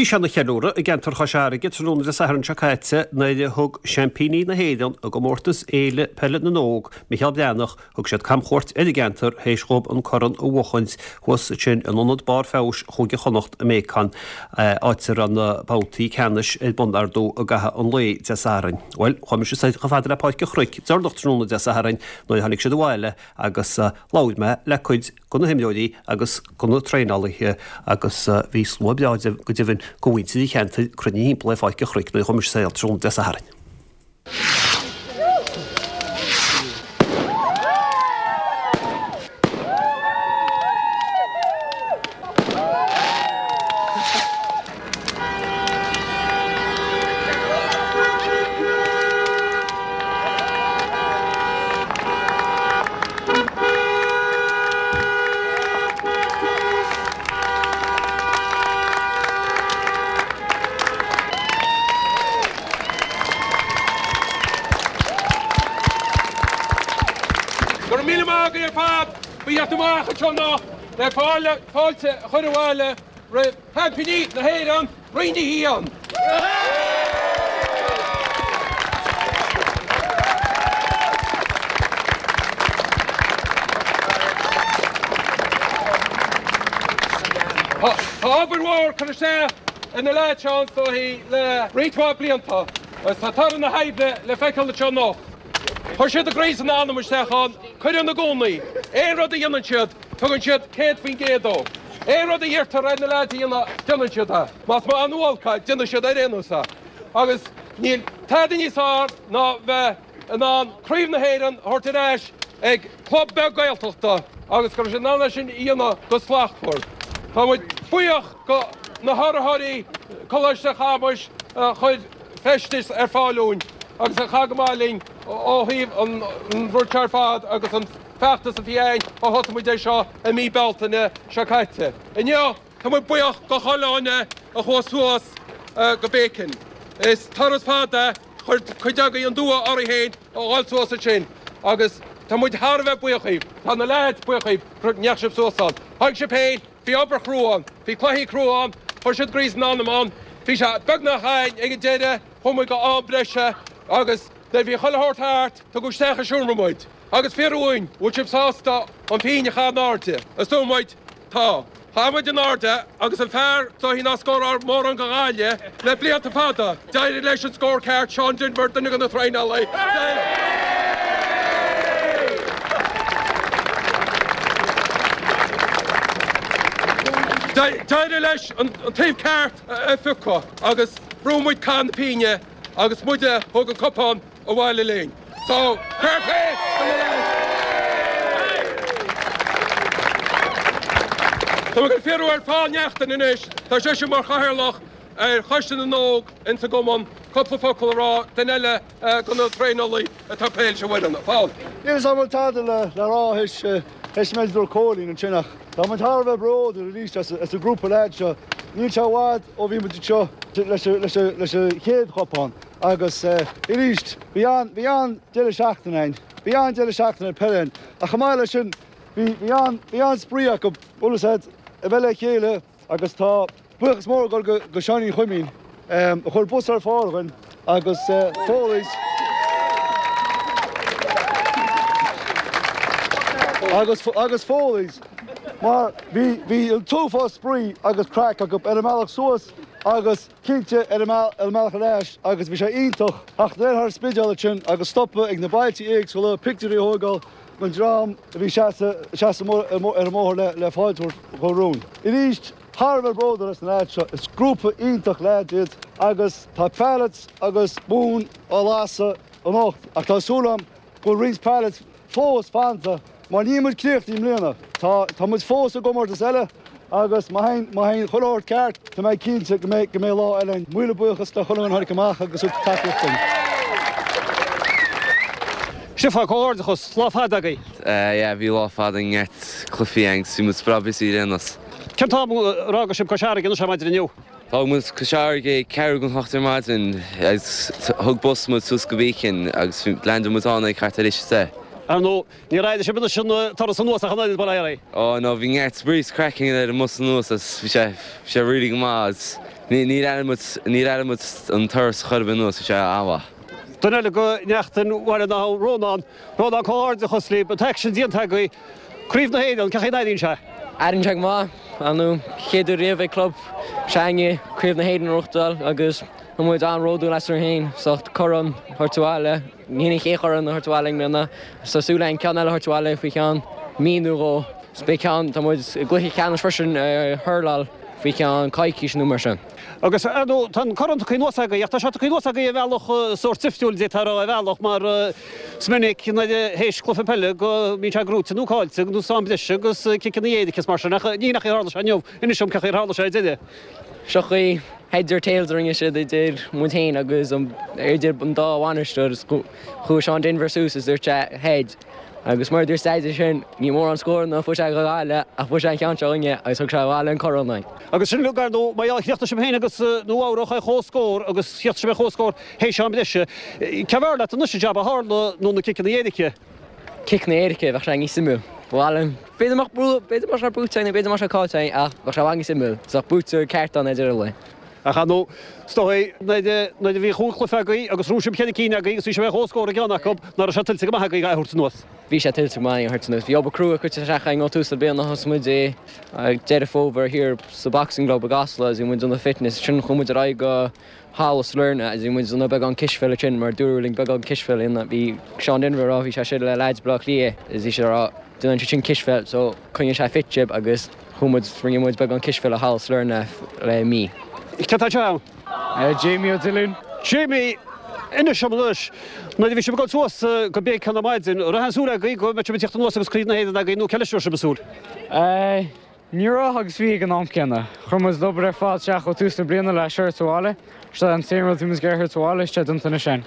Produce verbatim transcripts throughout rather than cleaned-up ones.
Bhí sé ina cheiliúradh i gceantar Chois Fharraige tráthnóna Dé Sathairn seo caite nuair a thug seaimpíní na hÉireann i gcomórtas Fhéile Peile na nÓg, Micheál Breathnach, thug siad camchuairt ar an gceantar théis dhóibh an corn a bhuachaint thuas ansin in Ionad Barr Feabhais Chúige Chonnacht i mBéacán, áit a raibh na babhtaí ceannais ar bun ar ndóigh i gcaitheamh an lae Dé Sathairn. Bhuel, chuaigh mise soir chomh fada le Páirc an Chnoic deireanach tráthnóna Dé Sathairn nuair a tháinig siad abhaile agus labhair mé le cuid de na himreoirí agus de na traenálaithe agus bhí slua breá go deimhin de mhuintir an cheantair cruinnithe thimpeall ar Pháirc an Chnoic nuair a chuaigh mise soir tráthnóna Dé Sathairn. Go raibh míle maith agaibh ar fad, ba theacht amach anseo anocht le fáilte a chur abhaile roimh sheaimpíní na hÉireann, Roinn a hAon. Tá obair mhór curtha isteach ag na leaids seo is dóichí le roinnt mhaith blianta agus tá toradh na hoibre le feiceáil anseo anocht. Chuir siad a gcroí is a n-anam isteach ann, cuireann i gcónaí. Aon rud a dhéanann siad, tugann siad céad faoin gcéad dó. Aon rud a iarrtar ar na leaids a dhéanamh, déanann siad é. Más maith nó olc é, déanann siad ar aon nós é. Agus níl tada níos fearr ná bheith in ann Craobh na hÉireann a thabhairt ar ais ag club beag Gaeltachta agus go raibh siad in ann é sin a dhéanamh go slachtmhar. Tá muid buíoch go na hurraitheoirí Coláiste Chamuis a chuir feistis ar fáil dúinn agus a chaith go maith linn ó thaobh an rud seo ar fad agus an feachtas a bhí againn ó thosaigh muid é seo i mí Bealtaine seo caite. Inniu, tá muid buíoch do chuile dhuine a chuaigh suas go Beacon. Is turas fada, chuir cuid agaibh an dua oraibh féin a dhul suas ansin agus tá muid thar a bheith buíoch dhíbh. Tá na leaids buíoch dhíbh go ndeachaigh sibh suas ann. Tháinig sibh féin, bhí obair chrua ann, bhí cluichí crua ann, chuir siad a gcroí is a n-anam ann, bhí sé beagnach againn ag an deireadh, chuaigh muid go am breise agus nuair a bhí chuile shórt thart, tugadh isteach i seomra muid. Agus fiafraíodh dínn, bhfuil sibh sásta an phingin a chaitheamh in airde? Is dúirt muid, tá. Chaith muid in airde agus an fear is dóichí nár scóráil mórán do Ghaillimh le blianta fada, d'éirigh leis an scór ceart, Seán Denvir, duine de na traenálaithe. D'éirigh leis an taobh ceart a phiocadh agus bhrúigh muid cath na pingine agus muide a thug an cupán abhaile linn. So, fair play do na lads! Tá mé ag fiafraí ar Paul Neachtain anois, tá seisean mar chathaoirleach ar Choiste na nÓg ins an gcumann, cúpla focal a rá, duine eile de na traenálaithe atá ag plé leis an bhfoireann. Paul. Níl 'fhios a'm an bhfuil tada le rá théis théis an méid a dúirt Cóilín ansin ach tá muid thar a bheith bródúil arís as an grúpa leaids seo. Níl sé i bhfad ó bhí muid anseo leis an chéad chupán. Agus arís, bhí an, bhí an-deireadh seachtaine againn. Bhí an-deireadh seachtaine peile againn. Ach chomh maith leis sin, bhí, bhí an, bhí an-spraoi acu, bhfuil 'fhios a'd, a bheith le chéile agus tá buíochas mór ag dul go, go Seáinín Chuimín, a chuir bus ar fáil dhúinn agus Foley's agus, agus Foley's mar bhí, bhí an t-uafás spraoi agus craic acu ar an mbealach suas agus cinnte ar an mbealach ar ais agus bhí sé iontach theacht anoir thar an Spidéal ansin agus stopadh ag na bailtí éagsúla, pictiúirí a thógáil den dream a bhí seasamh ar an mbóthar le le fáilte a thabhairt romhainn. Arís, thar a bheith bródúil as na leaids seo, is grúpa iontach leaids iad agus tá pallets agus móin á lasadh anocht ach tá súil agam go bhfuil roinnt pallets fós fanta mar níl muid críochnaithe i mbliana. Tá, tá muid fós i gcomórtas eile agus má théann, má théann chuile shórt ceart, tá mé cinnte go mbeidh, go mbeidh lá eile ann. Míle buíochas le chuile dhuine a tháinig amach agus a thug tacaíocht dúinn. Stiofán, comhghairdeachas, lá fada agaibh. Yeah, bhí lá fada, neart cluichí againn, bhí muid breá busy ar aon nós. Cén t-am ar fhága sibh Cois Fharraige anois ar maidin inniu? D'fhág muid Cois Fharraige ag ceathrú don hocht ar maidin agus thug bus muid suas go Beacon agus leaindeáil muid ann ag thart ar a deich. Ar ndóigh, níor airigh sibh anois an turas anuas ach an oiread, bail ó Dhia oraibh. Oh no, bhí neart spraoi is craic againn ar an mbus anuas agus bhí sé, bhí sé really go maith agus Ní muid ní muid an turas churban nó sé awa. Duine eile de neachtain Bhaile na hAbhann, Rónán, Rónán comhghairdeachas libh, an t-aicsean déanta agaibh, Craobh na hÉireann, cén chaoi a n-airíonn sé? Airíonn sé go maith, an chéad uair riamh ag club s'againne Craobh na hÉireann a ghnóthachtáil agus tá muid an-bhródúil asainn féin, as corn a thabhairt abhaile, ní an chéad chorn a thabhairt abhaile i mbliana, tá súil againn ceann eile a thabhairt abhaile faoi cheann mí nó dhó. Is beidh ceann, tá muid i gcluiche ceannais freisin ar hurláil faoi cheann coicís nó mar sin. Agus ar ndóigh, tá an corn tagtha anuas agaibh, ach tá sé tagtha anuas agaibh ar bhealach sórt difriúil, d'fhéadfá a rá, ar bhealach, mar is minic nuair a théis cluiche peile go mbíonn sé gnóite nó caillte nó san am breise agus ciceanna éirice is mar sin, ach ní hin an chaoi a tharla sé inniu. Inis dom cén chaoi ar tharla sé ar deireadh. Seo chaoi heads or tails a rinne siad idir muid féin agus idir an dá bhainisteoir. Chuaigh Seán Denvir suas is dúirt sé heads. Agus mar a dúirt Daidí sin, ní mórán scóranna a fuair sé do Ghaillimh ach fuair sé an ceann seo againne agus thug sé abhaile an corn dúinn. Agus sin uilig, ar ndóigh, mar gheall, chríochnaigh sibh féin agus Nua Eabhrac ar chomhscór agus chríochnaigh sibh ar chomhscór théis am breise. Cé b'fhearr leat anois an jab a tharla nó na ciceanna éirice? Ciceanna éirice, bheadh sé níos suimiúil. Ba mhaith liom. B'fhéidir mbeadh brú, b'fhéidir mbeadh sé buaite againn nó b'fhéidir mbeadh sé caillte againn ach bheadh sé i bhfad níos suimiúil. Bheadh buaiteoir ceart ann ar deireadh an lae. Ach ar ndóigh, is dóigh, nuair a bhí chúig chluiche agaibh agus ghnóthaigh sibh ceithre cinn agaibh agus bhí sibh ar chomhscór i gceann acu, nach raibh sé tuillte go maith agaibh é a thabhairt anuas? Bhí sé tuillte go maith againn a thabhairt anuas. Bhí obair crua curtha isteach againn ó tús na bliana. Thosaigh muid i Deireadh Fómhair thiar sa Boxing Club i gCasla agus bhí muid ag déanamh fitness. Ansin chuaigh muid ar aghaidh go Halla Sailearna agus bhí muid ag déanamh beagán cispheile ansin mar dúradh linn beagán cispheile a dhéanamh. Bhí Seán Denvir ag rá, bhí sé istigh le leaids Bhaile Átha Cliath agus bhí sé ag rá, déanann siad sin cispheil so coinneoidh sé fit sibh agus chuaigh muid, rinne muid beagán cispheile i Halla Sailearna le mí. Cé atá anseo? Jamie Ó Dillúin. Jamie, inis dom anois, nuair a bhí sibh ag dul suas go Beacon ar maidin, an raibh aon súil agaibh go mbeadh sibh ag tíocht anuas agus Craobh na hÉireann agaibh nó cé leis a raibh sibh ag súil? Ní raibh agus bhí ag an am céanna. Chuir muid an obair ar fad isteach ó tús na bliana le seo a thabhairt abhaile. Seo an t-aon rud a bhí muid ag iarraidh a thabhairt abhaile, is é déanta anois againn.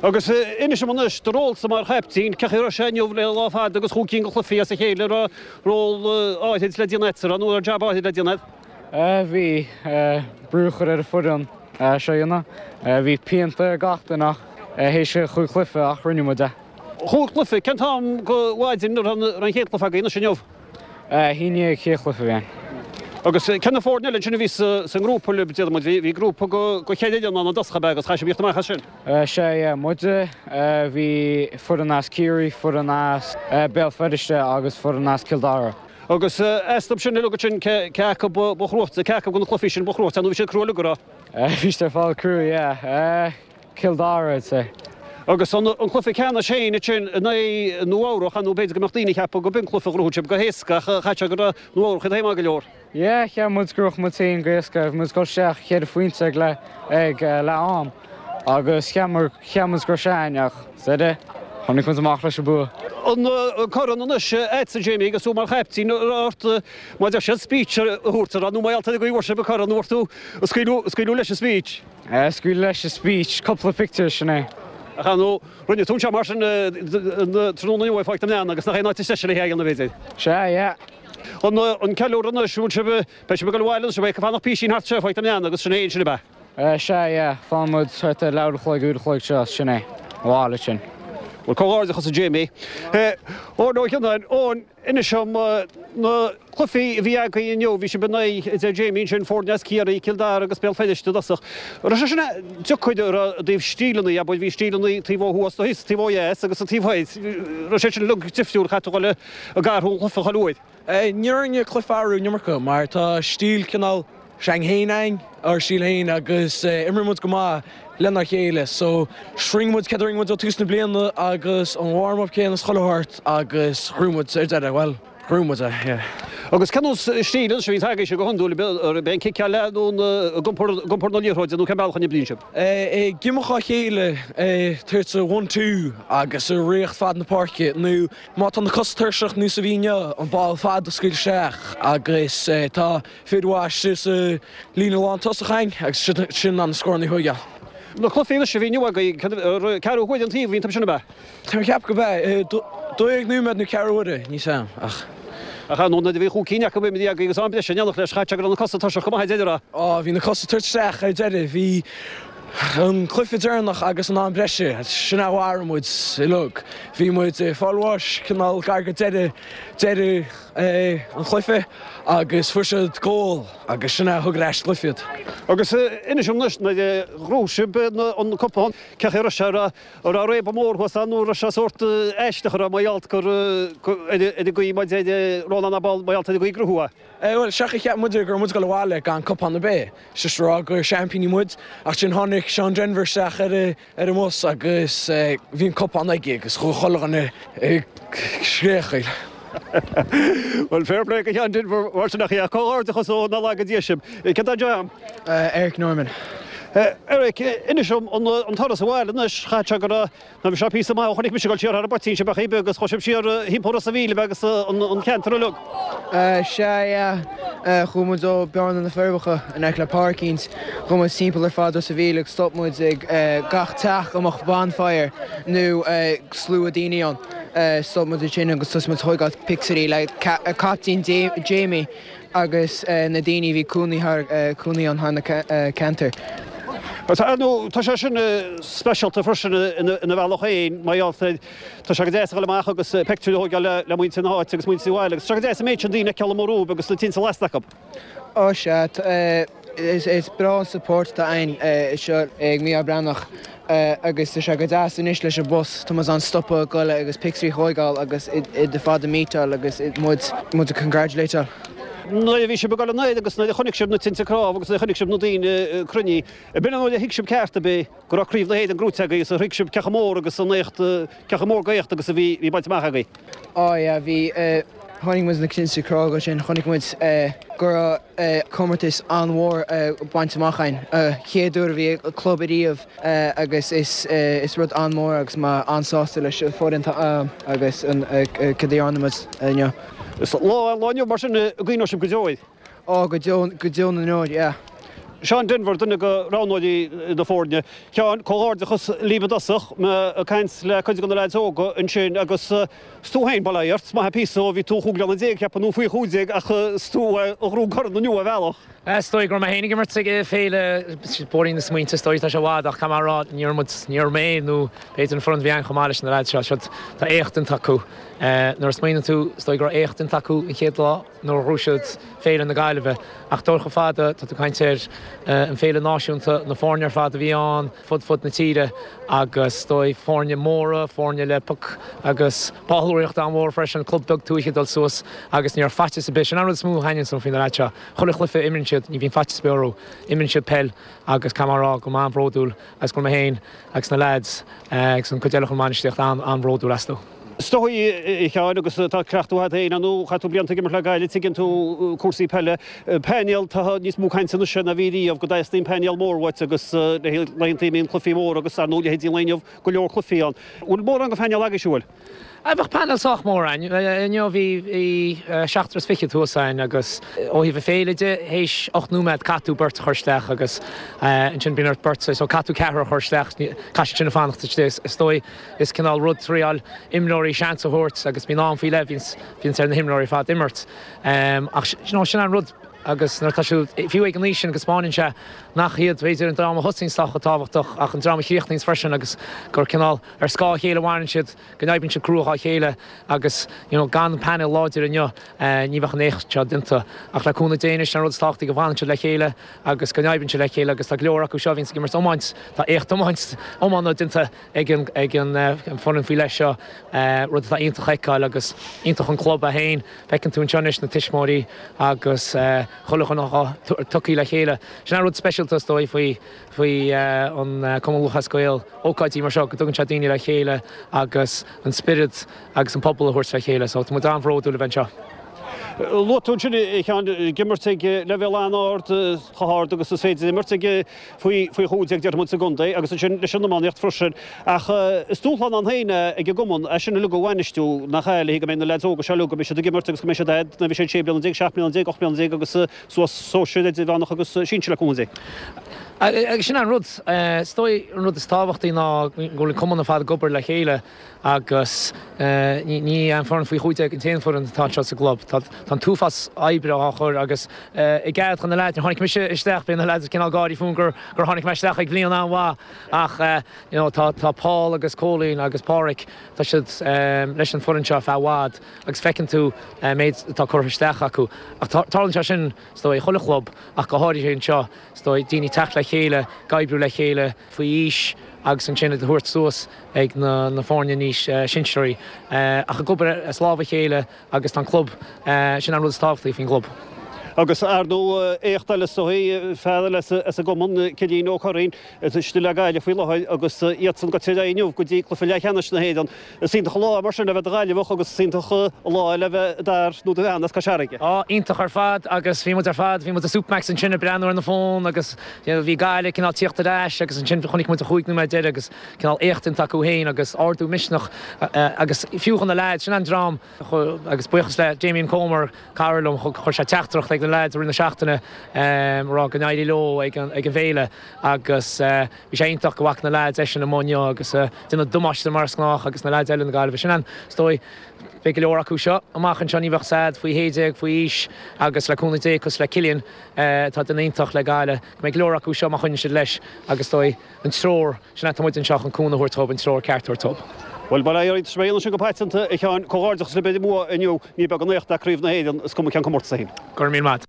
Agus inis dom anois, do rólsa mar chaiptín, cén chaoi a raibh sé inniu le lá fada agus chúig cinn de chluichí as a chéile, an raibh ról áithrid le déanamh agat, nó an raibh jab áithrid le déanamh agat? Bhí brú a chur ar an foireann seo a dhéanamh. Bhí pianta ar gach duine ach théis chúig chluiche ach rinne muid é. Chúig chluiche? Cén t-am go mhaidin a raibh an chéad chluiche agaibh anois inniu? A haon déag chéad chluiche a bhí ann. Agus cé na foirne eile ansin a bhí sa ngrúpa libh, déarfaidh muid? Bhí grúpa go cheithre fhoireann ann i dtosach ab ea agus chaith sibh íocht amach as sin? Sea, yeah, muide, bhí foireann as Ciarraí, foireann as Béal Feirste agus foireann as Cill Dara. Agus astu sin uilig ansin, cé acu ba chruaite, cé acu de na cluichí sin ba chruaite, nó bhí siad crua uilig, an raibh? Bhí siad ar fad crua, yeah. Cill Dara, I'd say. Agus an cluiche ceannais féin ansin in aghaidh Nua Eabhrach, nó b'fhéidir go mbeadh daoine ag ceapadh go b'in cluiche a ghnóthaigh sibh go héasca ach chaith sé go raibh Nua Eabhrach iad féin maith go leor. Yeah, cheap muid go raibh muid féin go héasca. Bhí muid ag dul isteach ceithre phointe ag leath ag leath am agus cheap muid go raibh sé againn ach sa deireadh tháinig muid amach leis an bua. An corn anois agatsa Jamie agus tú mar chaiptín an raibh ort mar a deir siad speech a thabhairt an raibh nó mar gheall ar go bhfuair sibh an corn an raibh tú ag scaoileadh leis an speech? Scaoileadh leis an speech, cúpla pictiúr sin é. Ach ar ndóigh, rinne tú anseo mar sin tráthnóna inniu i Pháirc na mBreann agus nach é an áit is deise le hé a dhéanamh b'fhéidir. Sea, yeah. An an ceiliúradh anois, bhfuil sibh, beidh sibh ag dul abhaile anois, beidh ag fanacht písín thart anseo i Pháirc na mBreann agus sin é ansin ab ea? Sea, yeah, fanfaidh muid thart ar leathuair a chloig, uair a chloig seo, sin é, abhaile ansin. Bhuel, comhghairdeachas a Jamie. Eoin Ó Gionnáin, Eoin, inis dom na cluichí a bhí agaibh inniu, bhí sibh in aghaidh, a deir Jamie ansin, foirne as Ciarraí, Cill Dara agus Béal Feirste i dtosach. An raibh sé sin deacair i dtaobh stíleanna, abair, bhí stíleanna taobh ó thuaidh, thíos, taobh ó dheas agus an taobh thoir. Raibh sé sin uilig difriúil, chaithfidh tú dhul ag athrú an chluiche chuile uair. Ní raibh an cluiche ag athrú an iomarca mar tá stíl cineál s'againn féin againn, ár stíl féin agus imríonn muid go maith lenár chéile so rinne muid céard a rinne muid ó tús na bliana agus an warm up céanna is chuile shórt agus ghnóthaigh muid ar deireadh, bhuel, ghnóthaigh muid é, yeah. Agus cén nós stíl anois a bhíonns agaibhse go hiondúil, ab é an ciceáil leath nó ag iompar na liathróide nó cén bealach a n-oibríonn sibh? Ag imeacht á chéile, tabhairt one two agus ag rith fad na páirce nó má tá na cosa tuirseach nós a bhí inniu, an ball fada a scaoileadh isteach agus tá fir mhaith sa líne lán tosach againn agus sin in ann na scóranna a thógáil. Na cluichí anois a bhí inniu agaibh, ceathrú huaire an taobh a bhí an sin ab ea? Tá mé ag ceapadh go b'ea. Dó dhéag nóiméad nó ceathrú uaire, níl 's a'm ach. Ach ar ndóigh nuair a bhí chúig cinn acu imithe agaibh agus am breise in éineacht leis, chaith sé go raibh na cosa tuirseach go maith ar deireadh. Á, bhí na cosa ag tabhairt isteach ar deireadh. Bhí an cluiche deireanach agus an am breise, sin a mharaigh muid uilig. Bhí muid ag fáil bháis cineál gar go deireadh, deireadh an chluiche agus fuair siad gól agus sin a thug ar ais cluiche iad. Agus inis dom anois nuair a ghnóthaigh sibh an cupán, cén chaoi a raibh sé, an raibh réabadh mór thuas ann nó an raibh sé sórt aisteach an raibh mar gheall gur ar an gcaoi mar deir Rónán Abel mar gheall ar an gcaoi gnóthú é? Bhuel, seachas cheap muid go raibh muid ag dul abhaile gan cupán ar bith, just rá gur seaimpíní muid, ach sin tháinig Seán Denver isteach ar ar an mbus agus bhí an cupán aige agus chuaigh chuile dhuine ag scréachaíl. Bhuel, fair play go Sheán Denver mar sin ach é comhghairdeachas ó na laga díosim. Cé tá jam? Eric Norman. Eric, inis dom an turas abhaile anois, chaith sé go raibh ná bhí sé píosa maith ó chonaic mise ag dul siar thar an bpoitín sibh ach beag agus chuaigh sibh siar thimpeall Ros a' Mhíl agus an ceantar uilig. Sea, yeah. Chuaigh muid ó Bearna na Forbacha in aice le Páircínt, chuaigh muid timpeall ar fad Ros a' Mhíl agus stop muid ag gach teach a mbeadh bonfire nó slua daoine ann. Stop muid ansin agus thosaigh muid ag tógáil pictiúirí le Captaen Jamie agus na daoine a bhí cónaí thar cónaí ann thar na ceantair. Ar ndóigh, tá sé sin speisialta freisin ina bhealach féin, mar gheall ar, tá sé go deas a dhul amach agus pictiúr a thógáil le muintir na háite agus muintir an bhaile agus tá sé go deas an méid sin daoine a fheiceáil amuigh romhaibh agus na tinte lasta acu. Ó sea, is breá an support atá againn anseo ag Mícheál Breathnach agus tá sé go deas anois leis an bus, tá muid in ann stopadh, goil agus pictiúirí a thógáil agus iad ar fad a meetáil agus muid muid a congratulateáil. Nuair a bhí sibh ag dul anoir agus nuair a chonaic sibh na tinte cnámh agus nuair a chonaic sibh na daoine cruinnithe, ab in an uair a thuig sibh ceart ab é go raibh Craobh na hÉireann gnóite agaibh agus a thuig sibh cé chomh mór agus an éacht, cé chomh mór d'éacht agus a bhí bhí bainte amach agaibh? Á yeah, bhí, chonaic muid na tinte cnámh sin, chonaic muid go raibh comórtas an-mhór bainte amach againn, chéad uair a bhí club ariamh agus is is rud an-mhór agus mé an-sásta leis an foireann agus an cad a dhearna muid inniu. Is lá lá inniu mar sin a gcuimhneoidh sibh go deo air. Ó, go deo, go deo na ndeor, yeah. Seán Denvir, duine de roghnóirí na foirne. Sheáin, comhghairdeachas libh i dtosach, mé ag caint le cuid de na leaids óga ansin agus is tú féin, bail ó Dhia ort, is maith an píosa ó bhí tú chúig bliana déag, cheapfainn, nó faoi chúig déag ach is tú a ghnóthaigh an corn inniu ar bhealach. Is dóigh go raibh mé féin ag imirt ag féile Bóithrín na Smaointe, is dóigh, tá sé i bhfad ach caithfidh mé a rá, ní raibh muid, ní raibh mé nó b'fhéidir an foireann a bhí ann chomh maith leis na leaids seo, siod, tá éacht déanta acu. Nuair a smaoiníonn tú, is dóigh go raibh éacht déanta acu an chéad lá nuair a ghnóthaigh siad Féile na Gaillimhe ach dul chomh fada, tá tú ag caint ar an féile náisiúnta, na foirne ar fad a bhí ann fud fud na tíre agus is dóigh foirne móra, foirne le poc agus ballraíocht an-mhór freisin, club beag tuaithe ag dul suas agus ní raibh faitíos ar bith. Sin an rud is mó a thaitníonn liom faoi na leaids seo. Chuile chluiche a imríonn siad, ní bhíonn faitíos ar bith orthu. Imríonn siad peil agus caithfidh mé a rá go bhfuil mé an-bhródúil agus go bhfuil mé féin agus na leaids agus an cuid eile den bhainistíocht an-bhródúil astu. Is dóigh, a Sheáin, agus tá cleachtadh agat féin, ar ndóigh, chaith tú blianta ag imirt le Gaillimh, tuigeann tú cúrsaí peile. Painéal, tá níos mó cainte anois ná bhí riamh go dteastaíonn painéal mór uait agus le laethanta a mbíonn cluichí móra agus, ar ndóigh, leithéidí an lae inniu, go leor cluichí ann. Bhfuil mórán de phainéal agaibhse, bhfuil? Bheadh painéal sách mór againn. Inniu bhí seachtar is fiche thuas againn agus ó thaobh na féile de, théis ocht nóiméad caithfidh tú beirt a chur isteach agus ansin bíonn ort beirt, so caithfidh tú ceathrar a chur isteach, caithfidh siad sin fanacht istigh. Is dóigh is cineál rud triáil imreoirí seans a thabhairt agus bíonn am faoi leith, bhíonns ar na himreoirí ar fad imirt. Ach you know sin an rud agus nuair atá siad fiú ag an aois sin go spáineann sé nach iad b'fhéidir an dream a thosaíonns atá chomh tábhachtach ach an dream a chríochnaíonns freisin agus gur cineál ar scáth a chéile a mhaireann siad, go n-oibríonn siad crua dhá chéile agus you know gan an painéal láidir inniu ní bheadh an éacht seo déanta. Ach le cúnamh Dé anois an rud is tábhachtaí go bhfanann siad le chéile agus go n-oibríonn siad le chéile agus tá go leor acu seo a bhíonns ag imirt iomáint, tá éacht iomáint iomána déanta ag an ag an foireann faoi leith seo, rud atá iontach a fheiceáil agus iontach an club é féin. Feiceann tú anseo anois na tuismitheoirí agus chuile dhuine tugtha le chéile. Sin an rud speisialta is dóigh faoi faoi an Cumann Lúthchleas Gael, ócáidí mar seo go dtugann sé daoine le chéile agus an spiorad agus an pobal a thabhairt le chéile. So tá muid an-bhródúil a bheith anseo. Luaigh tú ansin, a Sheáin, ag imirt ag leibhéal an-ard, chomh hard agus is féidir imirt ag faoi faoi chúig déag déarfaidh muid sa gcontae agus ansin leis an iománaíocht freisin. Ach is dúshlán ann féin é ag an gcumann é sin uilig a bhainistiú, nach ea, le go mbeidh na leaids óga seo uilig, go mbeidh siad ag imirt agus go mbeidh siad fhad, nuair a bheidh siad sé bliana déag, seacht mbliana déag, ocht mbliana déag agus suas sóisir, idirmheánach agus sinsir le cúnamh Dé. Agus sin an rud, is dóigh an rud is tábhachtaí ná go bhfuil an cumann ar fad ag obair le chéile agus ní an foireann faoi chúig déag an t-aon foireann atá anseo sa gclub. Tá an t-uafás oibre á chur agus i gcead chun na leaids, tháinig mise isteach, bíonn na leaids cineál gáirí fúm gur gur tháinig mé isteach ag bliain an-mhaith ach you know tá tá Paul agus Cóilín agus Páraic, tá siad leis an foireann seo feadh i bhfad agus feiceann tú an méid atá curtha isteach acu. Ach tarlaíonn sé sin is dóigh i chuile chlub ach go háirithe anseo. Is dóigh, daoine teacht le chéile, ag oibriú le chéile faoi aois agus ansin iad a thabhairt suas ag na foirne níos sinsearaí. Ach ag obair as lámh a chéile agus tá an club, sin an rud is tábhachtaí faoin gclub. Agus ar ndóigh éacht eile is dóigh, fear eile as an gcumann, Cillian Ó Curraoin, atá istigh le Gaillimh faoi láthair agus iadsan ag dul ar aghaidh inniu go dtí cluiche leathcheannais na hÉireann. Is iontach an lá é mar sin le bheith i do Ghaillimheach agus is iontach an lá é le bheith i d'fhear nó do bhean as Cois Fharraige. Á, iontach ar fad agus bhí muid ar fad, bhí muid i Supermac's ansin ag breathnú ar na fón agus you know bhí Gaillimh cineál tíocht ar ais agus ansin chonaic muid an chúig nóiméad deiridh agus cineál éachtaint acu féin agus ardú misneach agus fiú chun na leaids, sin an dream agus buíochas le Damien Comer, cara liom, chuir sé teachtaireacht ag na leaids i rith na seachtaine ag rá go n-éirí leo ag an bhféile agus bhí sé iontach go bhfaca na leaids eisean amuigh inniu agus déanamh damáiste mar is gnách agus na leaids eile na Gaillimhe. Sin an, is dóigh, beidh go leor acu seo amach anseo, ní bheadh said faoi shé déag, faoi aois agus le cúnamh Dé cosúil le Cillian atá ag déanamh iontach le Gaillimh, go mbeidh go leor acu seo má choinníonn siad leis agus is dóigh an treoir, sin é tá muid anseo chun cúnamh a thabhairt dóibh, an treoir ceart a thabhairt dóibh. Bhuel, bail ó Dhia oraibh, tá mé sin go paiteanta, a Sheáin, comhghairdeachas libh ar an mbua inniu, ní beag an éacht é Craobh na hÉireann, is cuma cén comórtas é féin. Go raibh míle maith.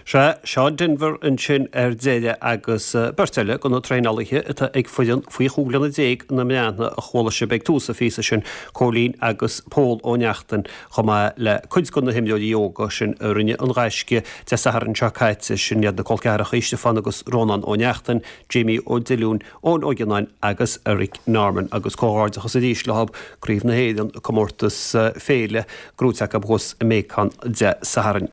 Sea, Seán Denvir ansin ar deireadh agus beirt eile de na traenálaithe atá ag foireann faoi chúig bliana déag na mBreathnach a chuala sibh ag tús an phíosa sin, Cóilín agus Pól Ó Neachtain, chomh maith le cuid de na himreoirí óga sin a rinne an gaisce Dé Sathairn seo caite, sin iad na col ceathracha Stiofán agus Rónán Ó Neachtain, Jamie Ó Diollúin, Eoin Ó Gionnáin agus Eric Norman agus comhghairdeachas arís leo, Craobh na hÉireann, comórtas féile gnóite acu thuas i Macon Dé Sathairn.